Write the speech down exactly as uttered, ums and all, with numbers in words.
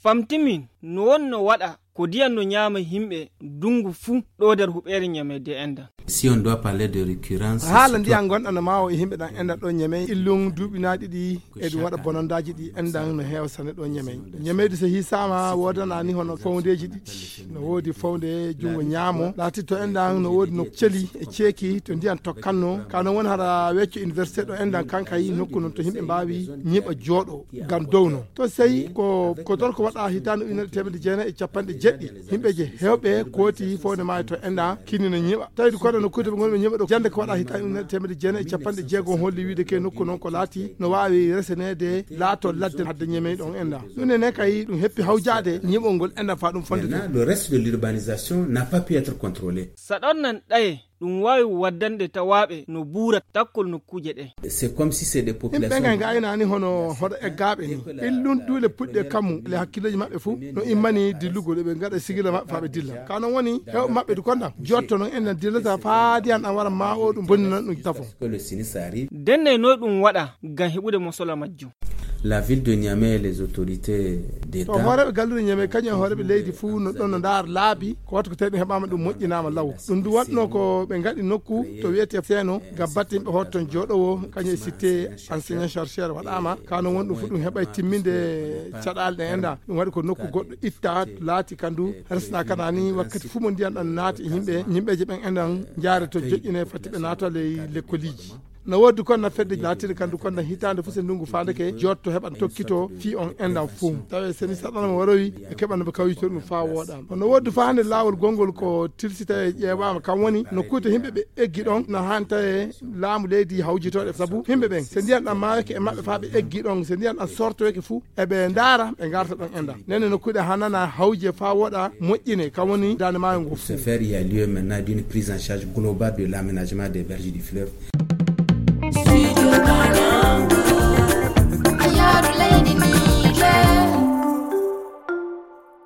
Ɓamtimin no wonno waɗa ko ndiyan no ñaama yimɓe ndunngu fuu ɗo nder huɓeere Ñamey de enndan. Si on doit parler de récurrence, haala ndiyan ngonɗan no maawo e yimɓe ɗan enndan ɗo Ñamey illun duuɓi naa ɗiɗi e ɗum waɗa bonondaaji ɗi enndan no heewa sanne ɗo Ñamey. Ñamey de so hiisaama woodana ni hono fawndeeji ɗiɗi. No woodi fawnde junngo ñaamo laatitto enndan no woodi no celi e ceeki to ndiyan tokkanno ka non woni hara wecco université ɗo enndan kankay nokku non to yimɓe mbaawi ñiɓa jooɗo. Ngam dow non to sey ko ko ton ko waɗa hitaande ujunere teemedde jeenayi e capanɗe jeɗɗi yimɓe je heewɓe kooti fowde maayo to enndan kinni no ñiɓa tawi ko ɗo nokkuuje ɓe ngonɓe ñiɓa ɗo jannde ko waɗa hitaande ujunere teemedde jeenayi e capanɗe jeegom holli wiide ke nokku non ko laati no waawi reseneede laato ladde hadde Ñamey ɗon enndan. Ɗum enen kay ɗum heppi hawjaade ñiɓol ngol enndan faa ɗum fonde. Maintenant le reste de l'urbanisation n'a pas pu être contrôlé. Saɗon nan ɗaye ɗum waawi waddande tawaaɓe no buura takkol nokkuuje ɗe. C'est comme si c'est des populations. Yimɓe ɓen kay ngaynaani hono hoɗo eggaaɓe ni. Illun duule puɗɗe kammu le hakkillooji maɓɓe fuu no immani dillugol eɓe ngaɗa sigila maɓɓe faa ɓe dilla ka non woni hewɓe maɓɓe du konɗan jotto non enen dillata faa ndiyan ɗan wara ma o ɗum bonninan ɗum tafo. Denne noy ɗum waɗa ngam heɓude mosola majjum. La ville de Niamey et les autorités to d'État. Hooreeɓe galluure Ñamey kañum e hooreeɓe leydi fuu no ɗon no ndaara laabi ko watta ko tawi ɗum heɓaama ɗum moƴƴinaama law. Ɗum ndu waɗno ko ɓe ngaɗi nokku to wiyetee seeno ngam batte yimɓe hoto ton jooɗowo kañum e sitte enseignant chercheur waɗaama ka non woni ɗum fuu ɗum heɓay timminde caɗaale ɗe enndan ɗum waɗi ko nokku goɗɗo itta laati ka ndu resna kana ni wakkati fuu mo ndiyan ɗan naati e yimɓe yimɓeeje ɓen enndan njaare to joƴƴine fatti ɓe naata ley lekkoliiji. No woodi kon na fedde laatiiɗe kandu kon na hitaande fof se ndungu faande ke jotto heɓa tokkito fii on enndan fof tawi seni saɗanama warowi e keɓa no ɓe kawjito ɗum faa wooɗa. No woodi faa hannde laawol gonngol ko tilsita e ƴeewaama kam woni no kuute yimɓe ɓe eggi ɗon na haani tawi laamu leydi hawjitooɗe sabu yimɓe ɓen se ndiyan ɗan maayake e maɓɓe faa ɓe eggi ɗon se ndiyan ɗan sortoyake fuu eɓe ndaara ɓe ngarta ɗon enndan nene nokkuuɗe hanana hawje faa wooɗa moƴƴine kam woni daande maayo ngo. Se faire il y a lieu maintenant d'une prise en charge globale de l'aménagement des berges du fleuve.